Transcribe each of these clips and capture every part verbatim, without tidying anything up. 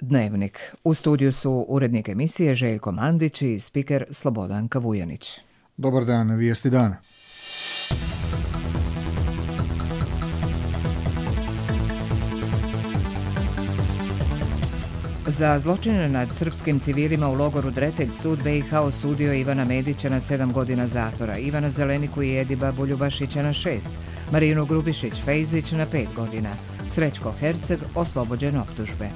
Dnevnik. U studiju su urednik emisije Željko Mandić i spiker Slobodanka Vujanić. Dobar dan, vijesti dana. Za zločine nad srpskim civilima u logoru Dretelj sud be i ha osudio Ivana Medića na sedam godina zatvora, Ivana Zeleniku i Ediba Buljubašića na šest, Marinu Grubišić-Fejzić na pet godina, Srećko Herceg oslobođen optužbe.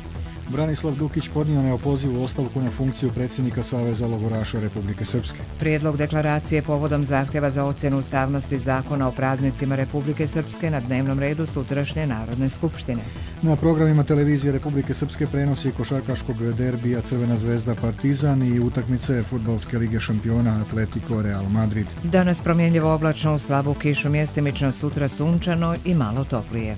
Branislav Dukić podnio neopozivu ostavku na funkciju predsjednika Saveza logoraša Republike Srpske. Prijedlog deklaracije povodom zahtjeva za ocjenu ustavnosti zakona o praznicima Republike Srpske na dnevnom redu sutrašnje Narodne skupštine. Na programima televizije Republike Srpske prenosi košarkaškog derbija Crvena zvezda Partizan i utakmice Fudbalske lige šampiona Atletico Real Madrid. Danas promjenljivo oblačno, u slabu kišu, mjestimično, sutra sunčano i malo toplije.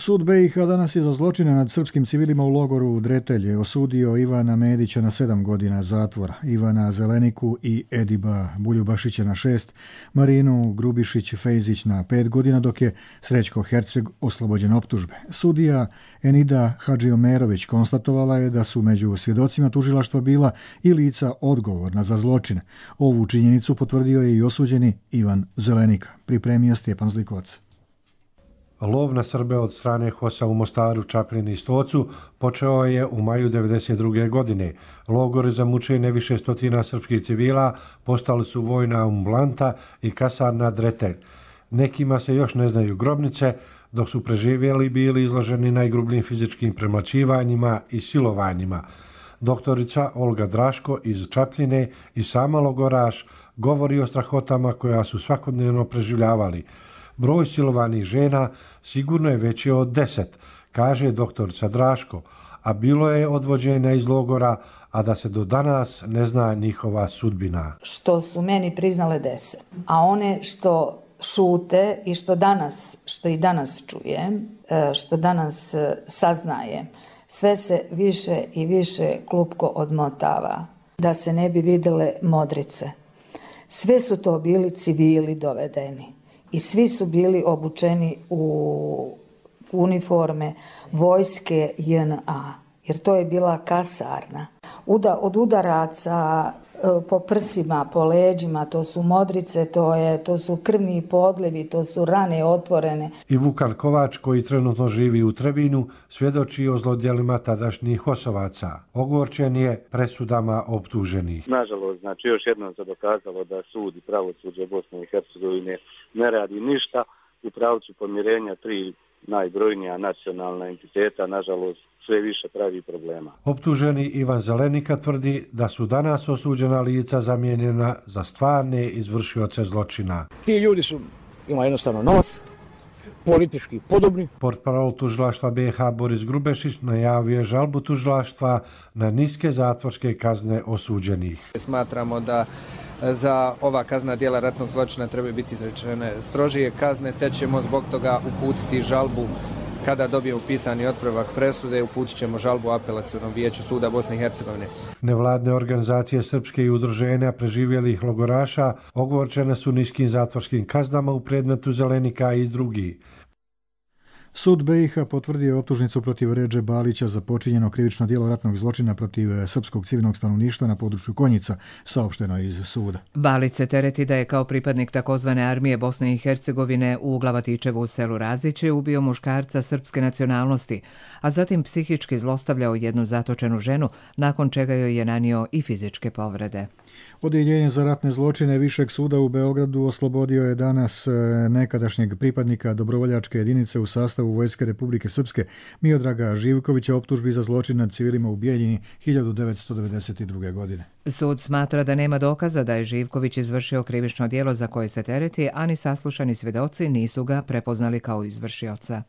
Sud be i ha danas je za zločine nad srpskim civilima u logoru Dretelj osudio Ivana Medića na sedam godina zatvora, Ivana Zeleniku i Ediba Buljubašića na šest, Marinu Grubišić-Fejzić na pet godina, dok je Srećko Herceg oslobođen optužbe. Sudija Enida Hadžiomerović konstatovala je da su među svjedocima tužilaštva bila i lica odgovorna za zločine. Ovu činjenicu potvrdio je i osuđeni Ivan Zelenika. Pripremio Stjepan Zlikovac. Lov na Srbe od strane HOS-a u Mostaru, Čapljini i Stocu počeo je u maju devedeset druge. godine. Logori za mučenje više stotina srpskih civila postali su vojna ambulanta i kasarna Dretelj. Nekima se još ne znaju grobnice, dok su preživjeli bili izloženi najgrubljim fizičkim premlaćivanjima i silovanjima. Doktorica Olga Draško iz Čapljine i sama logoraš govori o strahotama koja su svakodnevno preživljavali. Broj silovanih žena sigurno je veći od deset, kaže doktorica Draško, a bilo je odvođenja iz logora, a da se do danas ne zna njihova sudbina. Što su meni priznale deset, a one što šute i što danas, što i danas čujem, što danas saznajem, sve se više i više klupko odmotava, da se ne bi vidjele modrice. Sve su to bili civili dovedeni. I svi su bili obučeni u uniforme vojske je en a, jer to je bila kasarna. Uda, od udaraca po prsima, po leđima, to su modrice, to, je, to su krvni podlivi, to su rane otvorene. I Vukan Kovač, koji trenutno živi u Trebinu, svjedoči o zlodjelima tadašnjih hosovaca. Ogorčen je presudama optuženih. Nažalost, znači još jednom se dokazalo da sud i pravosuđe Bosne i Hercegovine ne radi ništa u pravcu pomirenja tri najbrojnija nacionalna entiteta, nažalost, sve više pravi problema. Optuženi Ivan Zelenika tvrdi da su danas osuđena lica zamijenjena za stvarne izvršioce zločina. Ti ljudi su, ima jednostavno novac, politički podobni. Portparol tužilaštva be i ha Boris Grubešić najavio je žalbu tužilaštva na niske zatvorske kazne osuđenih. Smatramo da za ova kaznena djela ratnog zločina treba biti izrečene strožije kazne, te ćemo zbog toga uputiti žalbu. Kada dobijemo pisani otpravak presude, uputit ćemo žalbu Apelacionom vijeću suda Bosne i Hercegovine. Nevladne organizacije srpske i udruženja preživjelih logoraša ogorčene su niskim zatvorskim kaznama u predmetu Zelenika i drugi. Sud be i ha potvrdio optužnicu protiv Redže Balića za počinjeno krivično djelo ratnog zločina protiv srpskog civilnog stanovništva na području Konjica, saopšteno je iz suda. Balić se tereti da je kao pripadnik takozvane armije Bosne i Hercegovine u Glavatičevu u selu Raziće ubio muškarca srpske nacionalnosti, a zatim psihički zlostavljao jednu zatočenu ženu, nakon čega joj je nanio i fizičke povrede. Odjeljenje za ratne zločine Višeg suda u Beogradu oslobodio je danas nekadašnjeg pripadnika dobrovoljačke jedinice u sastavu Vojske Republike Srpske Miodraga Živkovića optužbi za zločin nad civilima u Bijeljini hiljadu devetsto devedeset druge. godine. Sud smatra da nema dokaza da je Živković izvršio krivično djelo za koje se tereti, a ni saslušani svjedoci nisu ga prepoznali kao izvršioca.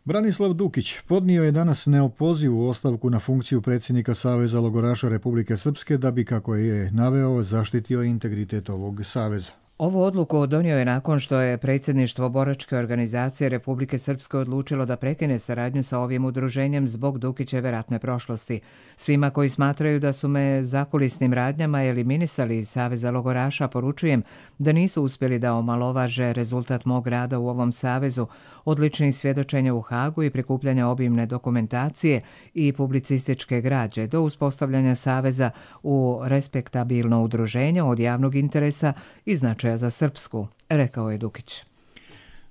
Branislav Dukić podnio je danas neopozivu ostavku na funkciju predsjednika Saveza logoraša Republike Srpske da bi, kako je naveo, zaštitio integritet ovog saveza. Ovu odluku donio je nakon što je predsjedništvo boračke organizacije Republike Srpske odlučilo da prekine saradnju sa ovim udruženjem zbog Dukićeve ratne prošlosti. Svima koji smatraju da su me zakulisnim radnjama eliminisali iz Saveza logoraša poručujem da nisu uspjeli da omalovaže rezultat mog rada u ovom savezu, odličnih svjedočenja u Hagu i prikupljanja obimne dokumentacije i publicističke građe do uspostavljanja saveza u respektabilno udruženje od javnog interesa i značaja za Srpsku, rekao je Dukić.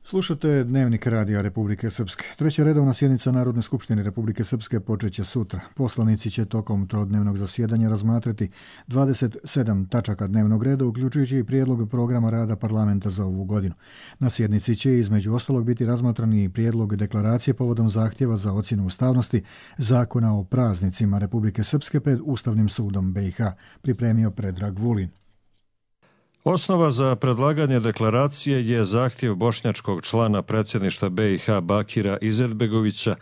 Slušate Dnevnik radija Republike Srpske. Treća redovna sjednica Narodne skupštine Republike Srpske počeće sutra. Poslanici će tokom trodnevnog zasjedanja razmatrati dvadeset sedam tačaka dnevnog reda, uključujući i prijedlog programa rada parlamenta za ovu godinu. Na sjednici će između ostalog biti razmatrani i prijedlog deklaracije povodom zahtjeva za ocjenu ustavnosti Zakona o praznicima Republike Srpske pred Ustavnim sudom B i H, pripremio Predrag Vulin. Osnova za predlaganje deklaracije je zahtjev bošnjačkog člana predsjedništva B i H Bakira Izetbegovića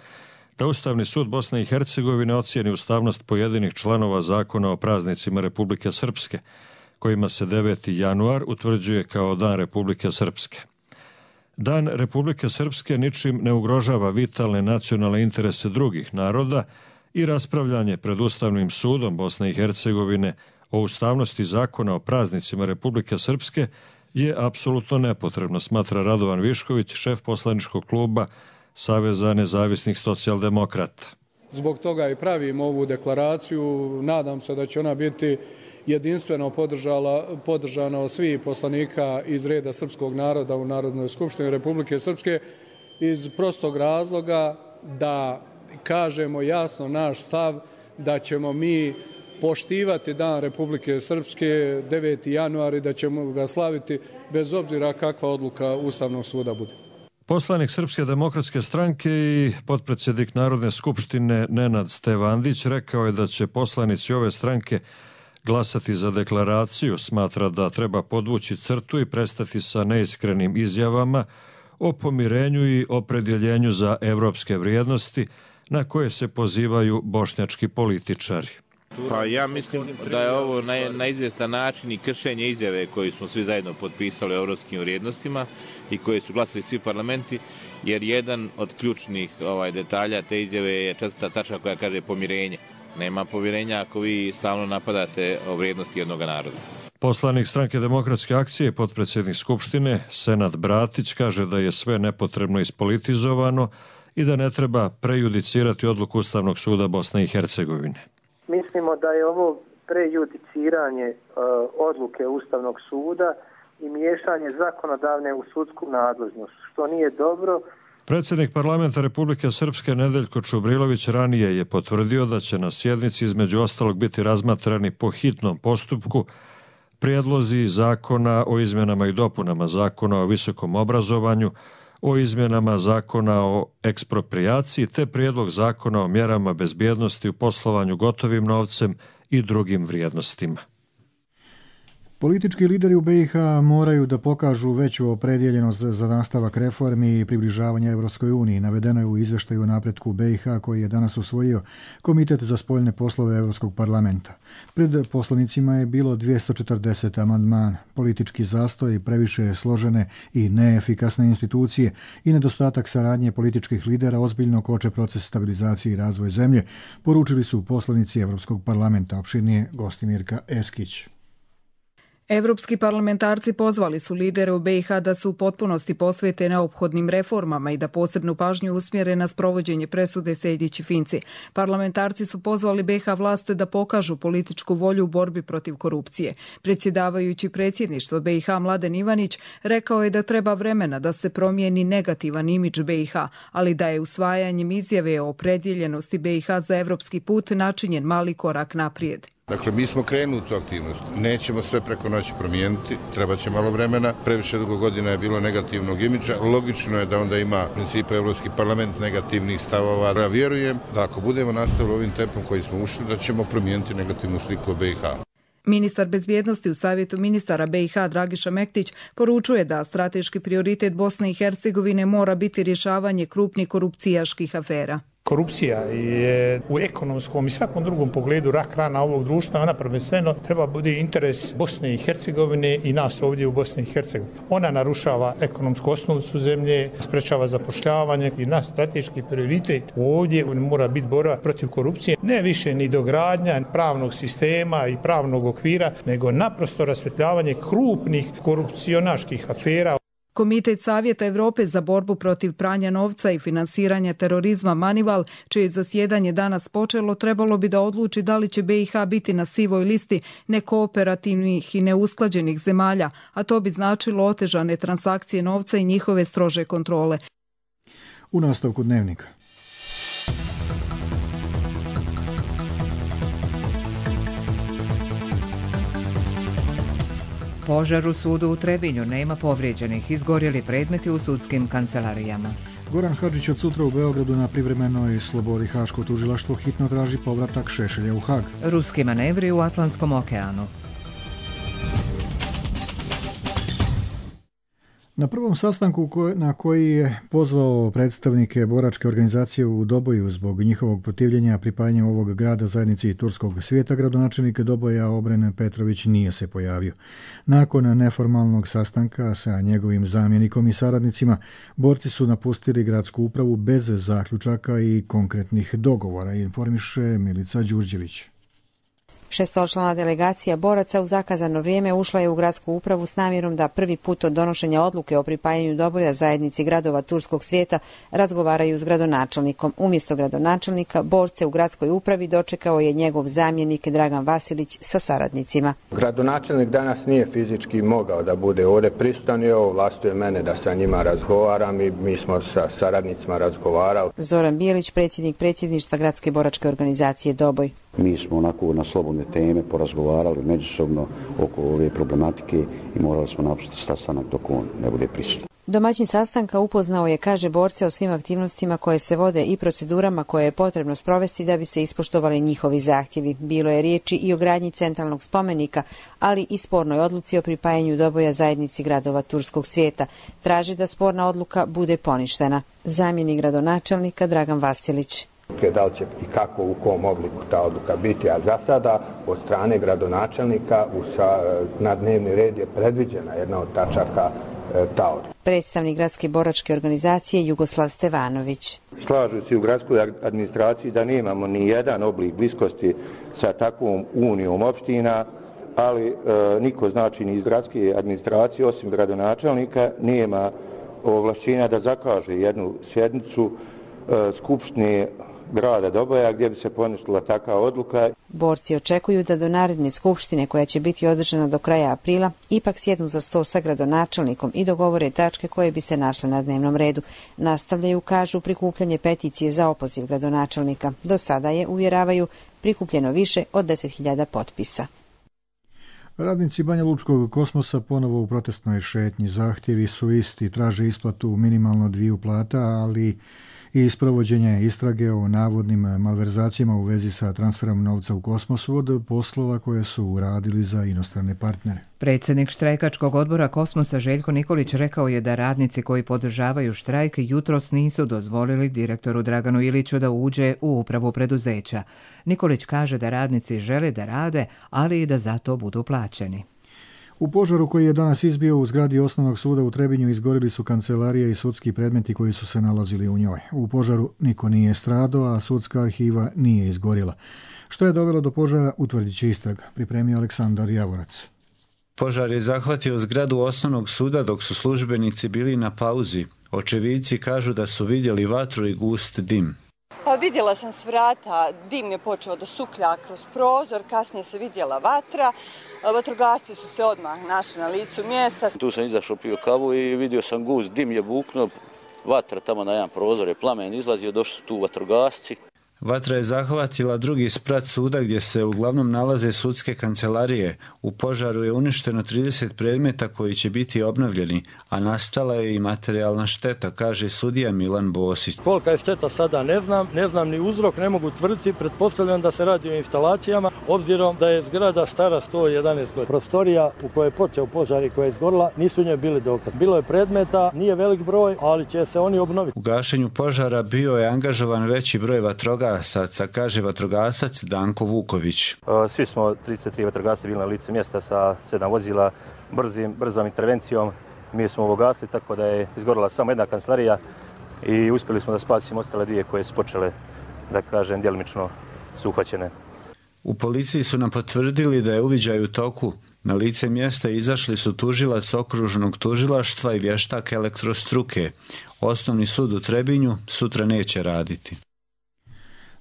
da Ustavni sud Bosne i Hercegovine ocijeni ustavnost pojedinih članova Zakona o praznicima Republike Srpske, kojima se deveti januar utvrđuje kao Dan Republike Srpske. Dan Republike Srpske ničim ne ugrožava vitalne nacionalne interese drugih naroda i raspravljanje pred Ustavnim sudom Bosne i Hercegovine o ustavnosti Zakona o praznicima Republike Srpske je apsolutno nepotrebno, smatra Radovan Višković, šef poslaničkog kluba Saveza nezavisnih socijaldemokrata. Zbog toga i pravimo ovu deklaraciju. Nadam se da će ona biti jedinstveno podržana od svih poslanika iz reda srpskog naroda u Narodnoj skupštini Republike Srpske iz prostog razloga da kažemo jasno naš stav da ćemo mi poštivati Dan Republike Srpske deveti januar i da ćemo ga slaviti bez obzira kakva odluka Ustavnog suda bude. Poslanik Srpske demokratske stranke i potpredsjednik Narodne skupštine Nenad Stevandić rekao je da će poslanici ove stranke glasati za deklaraciju, smatra da treba podvući crtu i prestati sa neiskrenim izjavama o pomirenju i opredjeljenju za evropske vrijednosti na koje se pozivaju bošnjački političari. Pa ja mislim da je ovo na, na izvjestan način i kršenje izjave koju smo svi zajedno potpisali o evropskim vrijednostima i koje su glasili svi parlamenti, jer jedan od ključnih ovaj, detalja te izjave je četvrta tačka koja kaže pomirenje. Nema pomirenja ako vi stalno napadate o vrijednosti jednog naroda. Poslanik Stranke demokratske akcije, potpredsjednik Skupštine, Senad Bratić, kaže da je sve nepotrebno ispolitizovano i da ne treba prejudicirati odluku Ustavnog suda Bosne i Hercegovine. Mislimo da je ovo prejudiciranje e, odluke Ustavnog suda i miješanje zakonodavne u sudsku nadležnost, što nije dobro. Predsjednik parlamenta Republike Srpske Nedeljko Čubrilović ranije je potvrdio da će na sjednici između ostalog biti razmatrani po hitnom postupku prijedlozi zakona o izmjenama i dopunama Zakona o visokom obrazovanju, o izmjenama Zakona o eksproprijaciji te prijedlog Zakona o mjerama bezbjednosti u poslovanju gotovim novcem i drugim vrijednostima. Politički lideri u B i H moraju da pokažu veću opredjeljenost za nastavak reformi i približavanja Evropskoj uniji. Navedeno je u izveštaju o napretku B i H koji je danas usvojio Komitet za spoljne poslove Evropskog parlamenta. Pred poslanicima je bilo dvjesto četrdeset amandmana. Politički zastoj, previše složene i neefikasne institucije i nedostatak saradnje političkih lidera ozbiljno koče proces stabilizacije i razvoj zemlje, poručili su poslanici Evropskog parlamenta. Opširnije Gostimirka Eskić. Evropski parlamentarci pozvali su lidere u B i H da se u potpunosti posvete neophodnim reformama i da posebnu pažnju usmjere na sprovođenje presude Sejdić-Finci. Parlamentarci su pozvali B i H vlaste da pokažu političku volju u borbi protiv korupcije. Predsjedavajući predsjedništvo B i H Mladen Ivanić rekao je da treba vremena da se promijeni negativan imidž B i H, ali da je usvajanjem izjave o opredjeljenosti B i H za evropski put načinjen mali korak naprijed. Dakle, mi smo krenuli u tu aktivnost. Nećemo sve preko noći promijeniti, treba će malo vremena. Previše dugo godina je bilo negativnog imidža. Logično je da onda ima principa Evropski parlament negativnih stavova. Ja vjerujem da ako budemo nastavili ovim tempom koji smo ušli, da ćemo promijeniti negativnu sliku o B i H. Ministar bezbjednosti u Savjetu ministara B i H Dragiša Mektić poručuje da strateški prioritet Bosne i Hercegovine mora biti rješavanje krupnih korupcijaških afera. Korupcija je u ekonomskom i svakom drugom pogledu rak rana ovog društva, ona prvenstveno treba biti interes Bosne i Hercegovine i nas ovdje u Bosni i Hercegovini. Ona narušava ekonomsku osnovicu zemlje, sprečava zapošljavanje i naš strateški prioritet ovdje mora biti borba protiv korupcije. Ne više ni dogradnja pravnog sistema i pravnog okvira, nego naprosto rasvjetljavanje krupnih korupcionaških afera. Komitet Savjeta Europe za borbu protiv pranja novca i finansiranja terorizma Manival, čije zasjedanje danas počelo, trebalo bi da odluči da li će B i H biti na sivoj listi nekooperativnih i neusklađenih zemalja, a to bi značilo otežane transakcije novca i njihove strože kontrole. U nastavku dnevnika. Požar u sudu u Trebinju, nema povrijeđenih, izgorjeli predmeti u sudskim kancelarijama. Goran Hadžić od sutra u Beogradu na privremenoj slobodi. Haško tužilaštvo hitno traži povratak Šešelja u Hag. Ruski manevri u Atlantskom okeanu. Na prvom sastanku na koji je pozvao predstavnike boračke organizacije u Doboju zbog njihovog protivljenja pripajanju ovog grada zajednici turskog svijeta, gradonačelnik Doboja Obren Petrović nije se pojavio. Nakon neformalnog sastanka sa njegovim zamjenikom i saradnicima, borci su napustili gradsku upravu bez zaključaka i konkretnih dogovora, informiše Milica Đurđević. Šestočlana delegacija boraca u zakazano vrijeme ušla je u gradsku upravu s namjerom da prvi put od donošenja odluke o pripajanju Doboja zajednici gradova turskog svijeta razgovaraju s gradonačelnikom. Umjesto gradonačelnika, borce u gradskoj upravi dočekao je njegov zamjenik Dragan Vasilić sa saradnicima. Gradonačelnik danas nije fizički mogao da bude ovdje prisutan i ovo vlastuje mene da sa njima razgovaram i mi smo sa saradnicima razgovarali. Zoran Bijelić, predsjednik predsjedništva gradske boračke organizacije Doboj. Mi smo onako na slobodne teme porazgovarali međusobno oko ove problematike i morali smo napustiti sastanak dok on ne bude prisutan. Domaćin sastanka upoznao je, kaže, borce o svim aktivnostima koje se vode i procedurama koje je potrebno sprovesti da bi se ispoštovali njihovi zahtjevi. Bilo je riječi i o gradnji centralnog spomenika, ali i spornoj odluci o pripajanju Doboja zajednici gradova turskog svijeta. Traži da sporna odluka bude poništena. Zamjenik gradonačelnika Dragan Vasilić. Da li će i kako, u kom obliku ta odluka biti, a za sada od strane gradonačelnika u sa, na dnevni red je predviđena jedna od tačaka e, ta odluka. Predstavnik gradske boračke organizacije Jugoslav Stevanović. Slažući u gradskoj administraciji da nemamo ni jedan oblik bliskosti sa takvom unijom opština, ali e, niko znači ni iz gradske administracije osim gradonačelnika nema ovlašćenja da zakaže jednu sjednicu e, skupštine grada Doboja gdje bi se poništila takva odluka. Borci očekuju da do naredne skupštine, koja će biti održana do kraja aprila, ipak sjednu za sto sa gradonačelnikom i dogovore tačke koje bi se našle na dnevnom redu. Nastavljaju, kažu, prikupljanje peticije za opoziv gradonačelnika. Do sada je, uvjeravaju, prikupljeno više od deset hiljada potpisa. Radnici Banja Lučkog Kosmosa ponovo u protestnoj šetnji. Zahtjevi su isti, traže isplatu minimalno dviju plata, ali i sprovođenje istrage o navodnim malverzacijama u vezi sa transferom novca u kosmosu od poslova koje su uradili za inostrane partnere. Predsjednik štrajkačkog odbora Kosmosa Željko Nikolić rekao je da radnici koji podržavaju štrajk jutros nisu dozvolili direktoru Draganu Iliću da uđe u upravu preduzeća. Nikolić kaže da radnici žele da rade, ali i da za to budu plaćeni. U požaru koji je danas izbio u zgradi Osnovnog suda u Trebinju izgorili su kancelarija i sudski predmeti koji su se nalazili u njoj. U požaru niko nije stradao, a sudska arhiva nije izgorila. Što je dovelo do požara, utvrdit će istraga, pripremio Aleksandar Javorac. Požar je zahvatio zgradu Osnovnog suda dok su službenici bili na pauzi. Očevidci kažu da su vidjeli vatru i gust dim. Pa vidjela sam s vrata, dim je počeo da suklja kroz prozor, kasnije se vidjela vatra. Vatrogasci su se odmah našli na licu mjesta. Tu sam izašao, pio kavu i vidio sam gust, dim je buknuo, vatra tamo na jedan prozor je plamen izlazio, došli su tu vatrogasci. Vatra je zahvatila drugi sprat suda gdje se uglavnom nalaze sudske kancelarije. U požaru je uništeno trideset predmeta koji će biti obnovljeni, a nastala je i materijalna šteta, kaže sudija Milan Bosić. Kolika je šteta sada ne znam, ne znam ni uzrok, ne mogu tvrditi, pretpostavljam da se radi o instalacijama, obzirom da je zgrada stara sto jedanaest godina. Prostorija u kojoj je počeo požar i koja je izgorila, nisu u njoj bili dokaz. Bilo je predmeta, nije velik broj, ali će se oni obnoviti. U gašenju požara bio je angažovan veći broj vatrogasaca, kaže vatrogasac Danko Vuković. Svi smo trideset tri vatrogasci bili na licu mjesta sa sedam vozila, brzim, brzom intervencijom. Mi smo ovo gasili, tako da je izgorila samo jedna kancelarija i uspjeli smo da spasimo ostale dvije koje su počele, da kažem, djelimično su uhvaćene. U policiji su nam potvrdili da je uviđaj u toku. Na lice mjesta izašli su tužilac okružnog tužilaštva i vještak elektrostruke. Osnovni sud u Trebinju sutra neće raditi.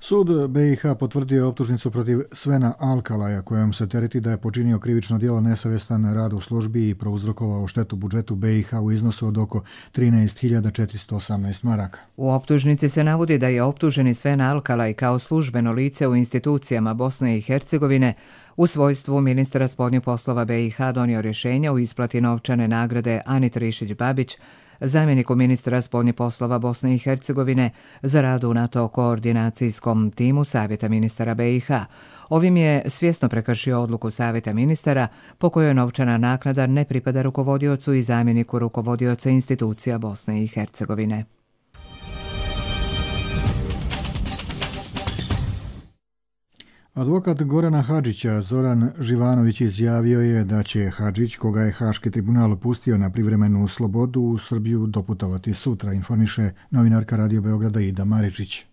Sud B i H potvrdio je optužnicu protiv Svena Alkalaja, kojom se tereti da je počinio krivično djelo nesavjestan rad u službi i prouzrokovao štetu budžetu B i H u iznosu od oko trinaest hiljada četiristo osamnaest maraka. U optužnici se navodi da je optuženi Sven Alkalaj kao službeno lice u institucijama Bosne i Hercegovine u svojstvu ministra spoljnih poslova B i H donio rješenja u isplati novčane nagrade Ani Trišić-Babić, zamjeniku ministra spoljnih poslova Bosne i Hercegovine, za rad u NATO koordinacijskom timu Savjeta ministara B i H. Ovim je svjesno prekršio odluku Savjeta ministara po kojoj novčana naknada ne pripada rukovodiocu i zamjeniku rukovodioca institucija Bosne i Hercegovine. Advokat Gorana Hadžića Zoran Živanović izjavio je da će Hadžić, koga je Haški tribunal pustio na privremenu slobodu, u Srbiju doputovati sutra, informiše novinarka Radio Beograda Ida Maričić.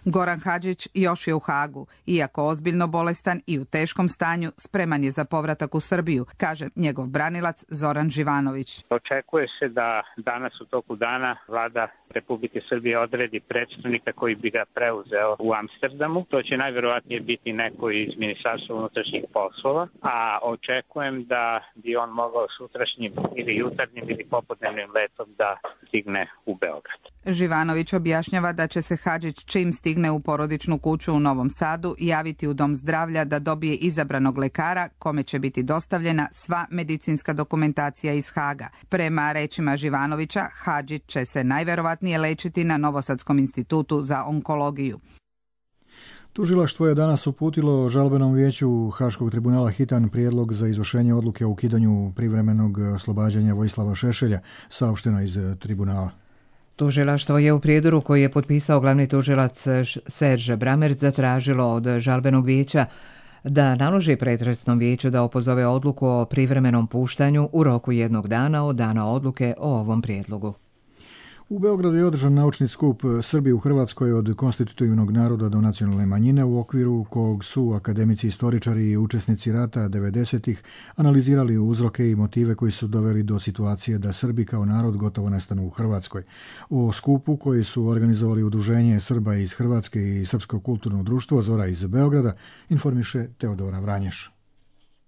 Goran Hadžić još je u Hagu. Iako ozbiljno bolestan i u teškom stanju, spreman je za povratak u Srbiju, kaže njegov branilac Zoran Živanović. Očekuje se da danas u toku dana vlada Republike Srbije odredi predstavnika koji bi ga preuzeo u Amsterdamu. To će najvjerovatnije biti neko iz Ministarstva unutrašnjih poslova, a očekujem da bi on mogao sutrašnjim ili jutarnjim ili popodnevnim letom da stigne u Beograd. Živanović objašnjava da će se Hadžić čim stigne u porodičnu kuću u Novom Sadu javiti u dom zdravlja da dobije izabranog lekara kome će biti dostavljena sva medicinska dokumentacija iz Haga. Prema rečima Živanovića, Hadžić će se najverovatnije lečiti na Novosadskom institutu za onkologiju. Tužilaštvo je danas uputilo žalbenom vijeću Haškog tribunala hitan prijedlog za izvršenje odluke o ukidanju privremenog oslobađanja Vojislava Šešelja, saopšteno iz tribunala. Tužilaštvo je u prijedoru koji je potpisao glavni tužilac Serge Bramerc zatražilo od žalbenog vijeća da naloži pretresnom vijeću da opozove odluku o privremenom puštanju u roku jednog dana od dana odluke o ovom prijedlogu. U Beogradu je održan naučni skup Srbi u Hrvatskoj od konstitutivnog naroda do nacionalne manjine, u okviru kog su akademici, istoričari i učesnici rata devedesetih analizirali uzroke i motive koji su doveli do situacije da Srbi kao narod gotovo nestanu u Hrvatskoj. O skupu koji su organizovali Udruženje Srba iz Hrvatske i Srpsko kulturno društvo Zora iz Beograda informiše Teodora Vranješ.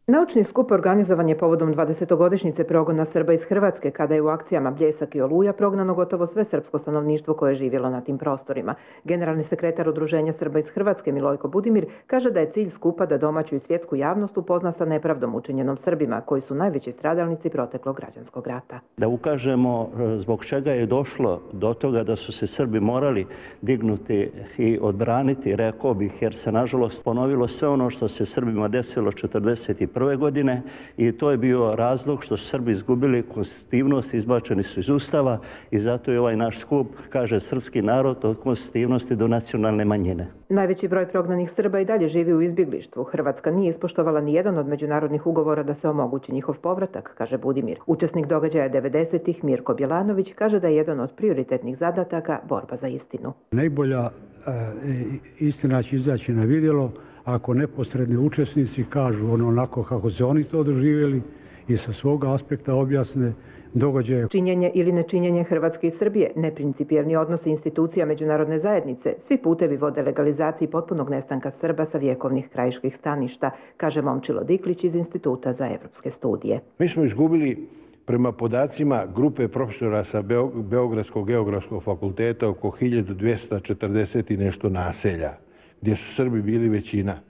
Naučni skup organizovan je povodom dvadesetogodišnjice progona Srba iz Hrvatske, kada je u akcijama Bljesak i Oluja prognano gotovo sve srpsko stanovništvo koje je živjelo na tim prostorima. Generalni sekretar Udruženja Srba iz Hrvatske Milojko Budimir kaže da je cilj skupa da domaću i svjetsku javnost upozna sa nepravdom učinjenom Srbima, koji su najveći stradalnici proteklog građanskog rata. Da ukažemo zbog čega je došlo do toga da su se Srbi morali dignuti i odbraniti, rekao bih, jer se nažalost ponovilo sve ono što se Srbima desilo četrdeset prve godine i to je bio razlog što su Srbi izgubili konstitutivnost, izbačeni su iz Ustava i zato je ovaj naš skup, kaže srpski narod, od konstitutivnosti do nacionalne manjine. Najveći broj prognanih Srba i dalje živi u izbjeglištvu. Hrvatska nije ispoštovala ni jedan od međunarodnih ugovora da se omogući njihov povratak, kaže Budimir. Učesnik događaja devedesetih Mirko Bjelanović kaže da je jedan od prioritetnih zadataka borba za istinu. Najbolja e, istina će izaći na vidjelo ako neposredni učesnici kažu ono onako kako se oni to doživjeli i sa svoga aspekta objasne događaje. Činjenje ili nečinjenje Hrvatske i Srbije, neprincipijelni odnosi institucija međunarodne zajednice, svi putevi vode legalizaciji potpunog nestanka Srba sa vjekovnih krajiških staništa, kaže Momčilo Diklić iz Instituta za evropske studije. Mi smo izgubili Prema podacima grupe profesora sa Beogradskog geografskog fakulteta, oko hiljadu dvesta četrdeset i nešto naselja, gdje su Srbi bili većina.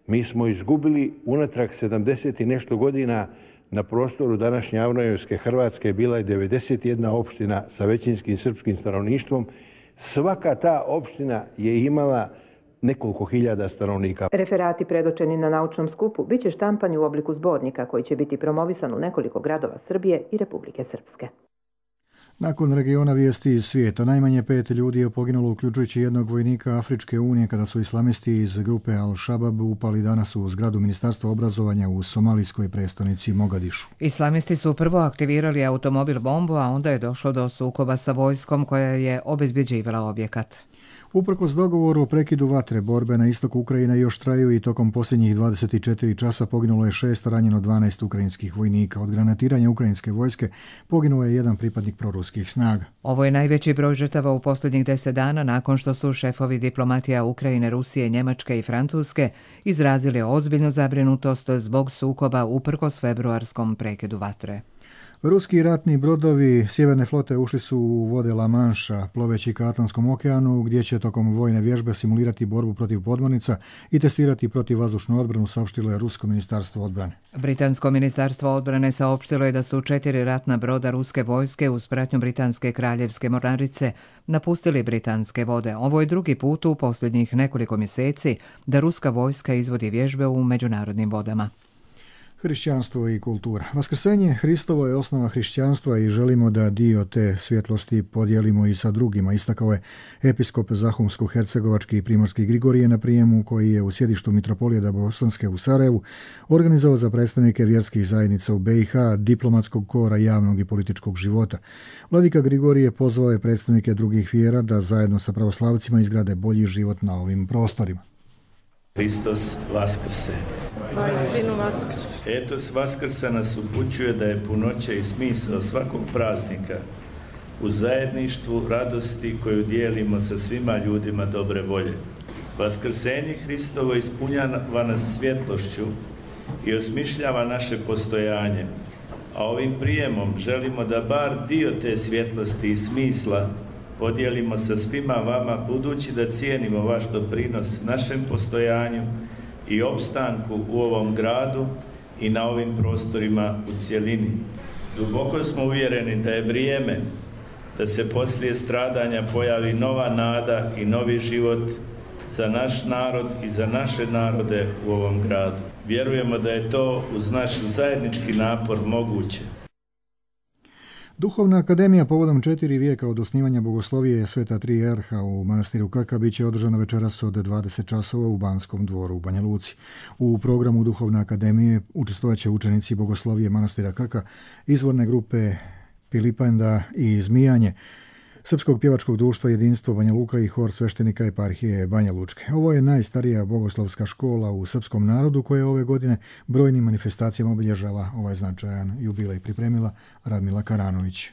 Mi smo izgubili unatrag sedamdeset i nešto godina na prostoru današnje Avnojevske Hrvatske bila je devedeset jedna opština sa većinskim srpskim stanovništvom. Svaka ta opština je imala nekoliko hiljada stanovnika. Referati predočeni na naučnom skupu biće štampani u obliku zbornika koji će biti promovisan u nekoliko gradova Srbije i Republike Srpske. Nakon regiona vijesti iz svijeta, najmanje pet ljudi je poginulo, uključujući jednog vojnika Afričke unije, kada su islamisti iz grupe Al-Shabaab upali danas u zgradu Ministarstva obrazovanja u somalijskoj prestonici Mogadišu. Islamisti su prvo aktivirali automobil bombu, a onda je došlo do sukoba sa vojskom koja je obezbjeđivala objekat. Uprkos dogovoru o prekidu vatre, borbe na istoku Ukrajine još traju i tokom posljednjih dvadeset četiri časa poginulo je šest, ranjeno dvanaest ukrajinskih vojnika. Od granatiranja ukrajinske vojske poginuo je jedan pripadnik proruskih snaga. Ovo je najveći broj žrtava u posljednjih deset dana nakon što su šefovi diplomatija Ukrajine, Rusije, Njemačke i Francuske izrazili ozbiljnu zabrinutost zbog sukoba uprkos februarskom prekidu vatre. Ruski ratni brodovi Sjeverne flote ušli su u vode La Manša, ploveći ka Atlantskom okeanu, gdje će tokom vojne vježbe simulirati borbu protiv podmornica i testirati protivvazdušnu odbranu, saopštilo je Rusko ministarstvo odbrane. Britansko ministarstvo odbrane saopštilo je da su četiri ratna broda ruske vojske uz pratnju britanske kraljevske mornarice napustili britanske vode. Ovo je drugi put u posljednjih nekoliko mjeseci da ruska vojska izvodi vježbe u međunarodnim vodama. Hrišćanstvo i kultura. Vaskrsenje Hristovo je osnova hrišćanstva i želimo da dio te svjetlosti podijelimo i sa drugima, istakao je episkop Zahumsko-hercegovački i primorski Grigorije na prijemu koji je u sjedištu Mitropolijeda Bosanske u Sarajevu organizovao za predstavnike vjerskih zajednica u be i ha, diplomatskog kora, javnog i političkog života. Vladika Grigorije pozvao je predstavnike drugih vjera da zajedno sa pravoslavcima izgrade bolji život na ovim prostorima. Hristos vaskrse. Vaistinu vaskrse. Etos vaskrsa nas upućuje da je punoća i smisao svakog praznika u zajedništvu radosti koju dijelimo sa svima ljudima dobre volje. Vaskrsenje Hristovo ispunjava nas svjetlošću i osmišljava naše postojanje, a ovim prijemom želimo da bar dio te svjetlosti i smisla podijelimo sa svima vama, budući da cijenimo vaš doprinos našem postojanju i opstanku u ovom gradu i na ovim prostorima u cjelini. Duboko smo uvjereni da je vrijeme da se poslije stradanja pojavi nova nada i novi život za naš narod i za naše narode u ovom gradu. Vjerujemo da je to uz naš zajednički napor moguće. Duhovna akademija povodom četiri vijeka od osnivanja bogoslovije Sveta Tri Jarha u manastiru Krka bit će održana večeras od dvadeset časova u Banskom dvoru u Banja Luci. U programu Duhovne akademije učestvovat će učenici bogoslovije manastira Krka, izvorne grupe Pilipenda i Zmijanje, Srpskog pjevačkog društva Jedinstvo Banja Luka i hor sveštenika eparhije Banja Lučke. Ovo je najstarija bogoslovska škola u srpskom narodu koja ove godine brojnim manifestacijama obilježava ovaj značajan jubilej, pripremila Radmila Karanović.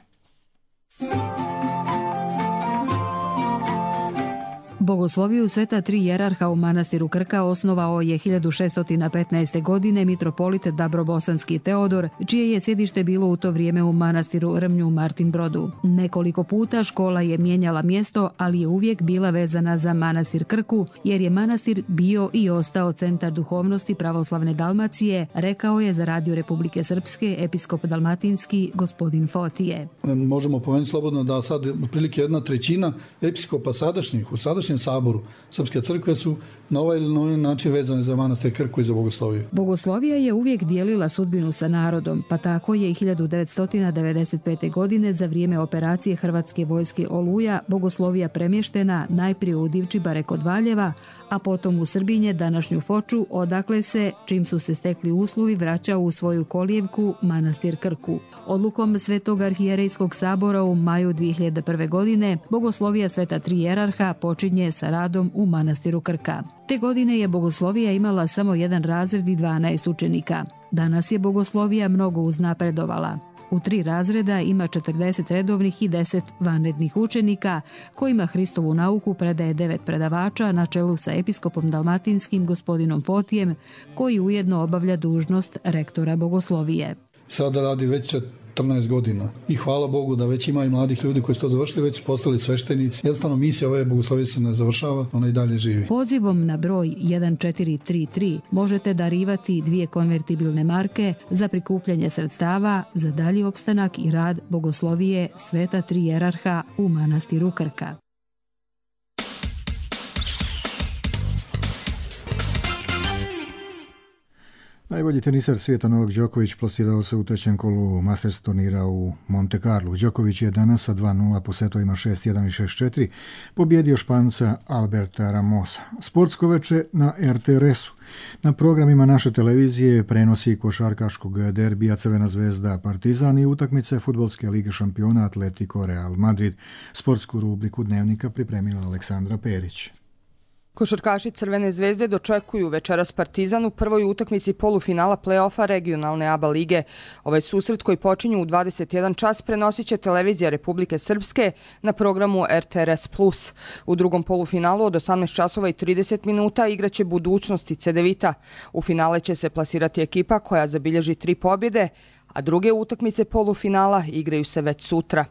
Bogosloviju Sveta Tri Jerarha u manastiru Krka osnovao je hiljadu šeststo petnaeste. godine mitropolit Dabrobosanski Teodor, čije je sjedište bilo u to vrijeme u manastiru Rmnju Martin Brodu. Nekoliko puta škola je mijenjala mjesto, ali je uvijek bila vezana za manastir Krku, jer je manastir bio i ostao centar duhovnosti pravoslavne Dalmacije, rekao je za Radio Republike Srpske episkop dalmatinski gospodin Fotije. Možemo pomenuti slobodno da sad otprilike jedna trećina episkopa sadašnjih u sadašnjih saboru Srpske crkve su na ovaj ili na ovaj način vezane za manastir Krku i za bogosloviju. Bogoslovija je uvijek dijelila sudbinu sa narodom, pa tako je i hiljadu devetsto devedeset pete. godine za vrijeme operacije Hrvatske vojske Oluja bogoslovija premještena najprije u Divčibare kod Valjeva, a potom u Srbinje, današnju Foču, odakle se, čim su se stekli uslovi, vraćao u svoju kolijevku manastir Krku. Odlukom Svetog arhijerejskog sabora u maju dvije hiljade prve. godine bogoslovija Sveta Tri Jerarha počinje sa radom u manastiru Krka. Te godine je bogoslovija imala samo jedan razred i dvanaest učenika. Danas je bogoslovija mnogo uznapredovala. U tri razreda ima četrdeset redovnih i deset vanrednih učenika, kojima Hristovu nauku predaje devet predavača na čelu sa episkopom dalmatinskim gospodinom Fotijem, koji ujedno obavlja dužnost rektora bogoslovije. Sada radi već četrnaest godina. I hvala Bogu da već ima i mladih ljudi koji su to završili, već su postali sveštenici. Jednostavno misija ove bogoslovije se ne završava, ona i dalje živi. Pozivom na broj jedan četiri tri tri možete darivati dvije konvertibilne marke za prikupljanje sredstava za dalji opstanak i rad bogoslovije Sveta Tri Jerarha u manastiru Krka. Najbolji teniser svijeta Novak Đoković plasirao se u trećem kolu Masters turnira u Monte Carlo. Đoković je danas sa dva nula po setovima šest jedan i šest četiri pobjedio Španca Alberta Ramosa. Sportsko veče na er te er esu. Na programima naše televizije prenosi košarkaškog derbija Crvena zvezda Partizan i utakmice Fudbalske lige šampiona Atletico Real Madrid. Sportsku rubriku Dnevnika pripremila Aleksandra Perić. Košarkaši Crvene zvezde dočekuju večeras Partizan u prvoj utakmici polufinala play-offa regionalne A B A lige. Ovaj susret koji počinju u dvadeset jedan čas prenosit će televizija Republike Srpske na programu er te er es plus. U drugom polufinalu od osamnaest časova i trideset minuta igraće Budućnosti Cedevita. U finale će se plasirati ekipa koja zabilježi tri pobjede, a druge utakmice polufinala igraju se već sutra.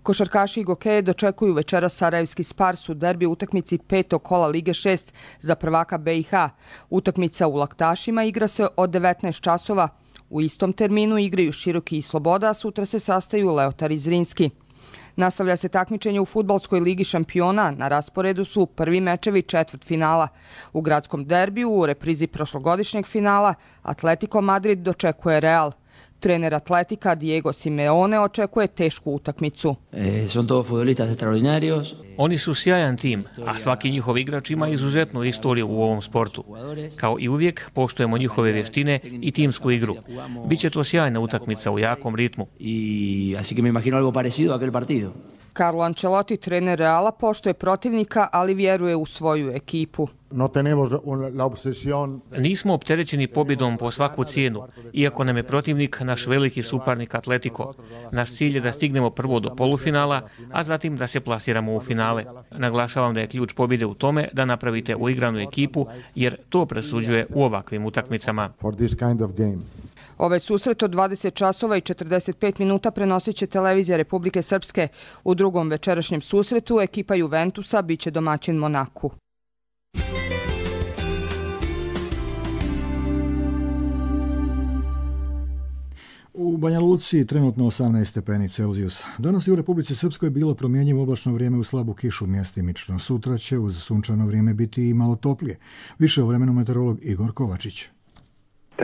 Košarkaši i gokeje dočekuju večeras Sarajevski Spars u derbi utakmici petog kola Lige šest za prvaka be i ha. Utakmica u Laktašima igra se od devetnaest časova. U istom terminu igraju Široki i Sloboda, a sutra se sastaju Leotar i Zrinski. Nastavlja se takmičenje u Fudbalskoj ligi šampiona, na rasporedu su prvi mečevi četvrtfinala. U gradskom derbiju u reprizi prošlogodišnjeg finala Atletico Madrid dočekuje Real. Trener Atletika Diego Simeone očekuje tešku utakmicu. Oni su sjajan tim, a svaki njihov igrač ima izuzetnu istoriju u ovom sportu. Kao i uvijek, poštujemo njihove vještine i timsku igru. Biće to sjajna utakmica u jakom ritmu. Carlo Ancelotti, trener Reala, poštuje protivnika, ali vjeruje u svoju ekipu. Nismo opterećeni pobjedom po svaku cijenu, iako nam je protivnik naš veliki suparnik Atletico. Naš cilj je da stignemo prvo do polufinala, a zatim da se plasiramo u finale. Naglašavam da je ključ pobjede u tome da napravite uigranu ekipu, jer to presuđuje u ovakvim utakmicama. Ovaj susret od dvadeset časova i četrdeset pet minuta prenosit će televizija Republike Srpske. U drugom večerašnjem susretu ekipa Juventusa biće domaćin Monaku. U Banja Luci trenutno osamnaest stepeni Celzijusa. Danas je u Republici Srpskoj bilo promjenjivo oblačno vrijeme u slabu kišu mjestimično. Sutra će uz sunčano vrijeme biti i malo toplije. Više o vremenu meteorolog Igor Kovačić.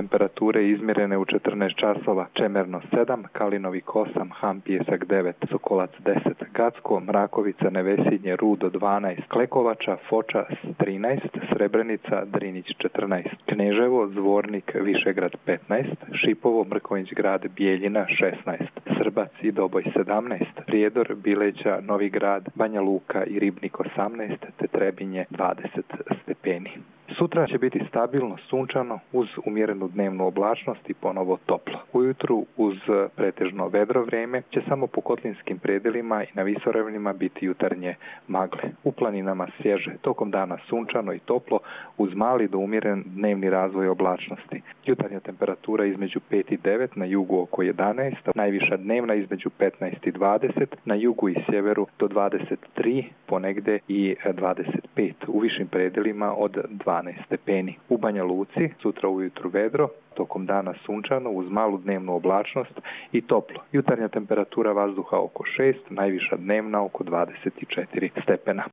Temperature izmjerene u četrnaest časova, Čemerno sedam, Kalinovik osam, Han Pijesak devet, Sokolac deset, Gacko, Mrakovica, Nevesinje, Rudo dvanaest, Klekovača, Foča trinaest, Srebrenica, Drinić četrnaest, Kneževo, Zvornik, Višegrad petnaest, Šipovo, Mrkonjić grad, Bijeljina šesnaest, Srbac i Doboj sedamnaest, Prijedor, Bileća, Novi grad, Banja Luka i Ribnik osamnaest, te Trebinje dvadeset stepeni. Sutra će biti stabilno sunčano uz umjerenu dnevnu oblačnost i ponovo toplo. Ujutru uz pretežno vedro vrijeme će samo po kotlinskim predelima i na visoravnima biti jutarnje magle. U planinama svježe, tokom dana sunčano i toplo uz mali do umjeren dnevni razvoj oblačnosti. Jutarnja temperatura između pet i devet, na jugu oko jedanaest, najviša dnevna između petnaest i dvadeset, na jugu i sjeveru do dvadeset tri, ponegde i dvadeset pet, u višim predelima od dvanaest stepeni. U Banja Luci sutra ujutru vedro, tokom dana sunčano uz malu dnevnu oblačnost i toplo. Jutarnja temperatura vazduha oko šest, najviša dnevna oko dvadeset četiri stepena.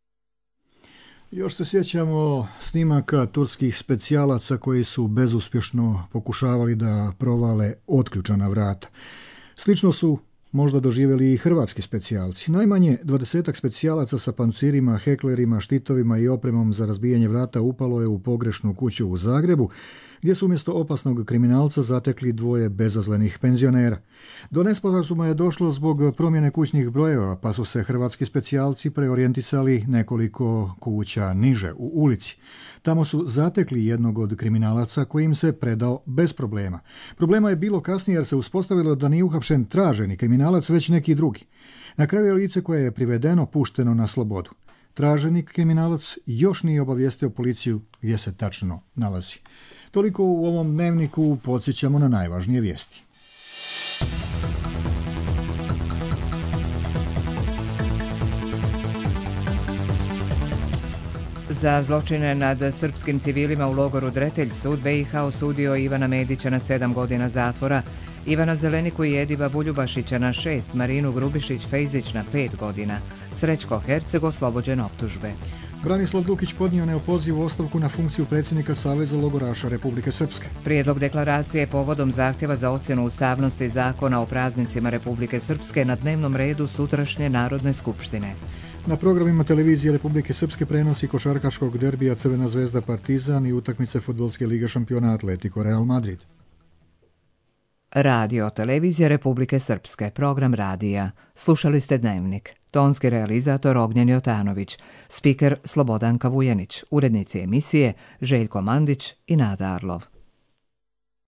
Još se sjećamo snimaka turskih specijalaca koji su bezuspješno pokušavali da provale otključana vrata. Slično su možda doživjeli i hrvatski specijalci. Najmanje dvadesetak specijalaca sa pancirima, heklerima, štitovima i opremom za razbijanje vrata upalo je u pogrešnu kuću u Zagrebu, gdje su umjesto opasnog kriminalca zatekli dvoje bezazlenih penzionera. Do nesporazuma je došlo zbog promjene kućnih brojeva, pa su se hrvatski specijalci preorijentisali nekoliko kuća niže u ulici. Tamo su zatekli jednog od kriminalaca koji im se predao bez problema. Problema je bilo kasnije jer se uspostavilo da nije uhapšen traženi kriminalac, već neki drugi. Na kraju je lice koje je privedeno pušteno na slobodu. Traženi kriminalac još nije obavijestio policiju gdje se tačno nalazi. Toliko u ovom dnevniku, podsjećamo na najvažnije vijesti. Za zločine nad srpskim civilima u logoru Dretelj sud be i ha osudio Ivana Medića na sedam godina zatvora, Ivana Zeleniku i Ediba Buljubašića na šest, Marinu Grubišić-Fejzić na pet godina. Srećko Herceg oslobođen optužbe. Branislav Dukić podnio neopozivu ostavku na funkciju predsjednika Saveza logoraša Republike Srpske. Prijedlog deklaracije povodom zahtjeva za ocjenu ustavnosti zakona o praznicima Republike Srpske na dnevnom redu sutrašnje Narodne skupštine. Na programima televizije Republike Srpske prenosi košarkaškog derbija Crvena zvezda Partizan i utakmice Fudbalske lige šampiona Atletico Real Madrid. Radio televizija Republike Srpske, program radija. Slušali ste Dnevnik. Tonski realizator Ognjen Jotanović, spiker Slobodanka Vujanić, urednici emisije Željko Mandić i Nada Arlov.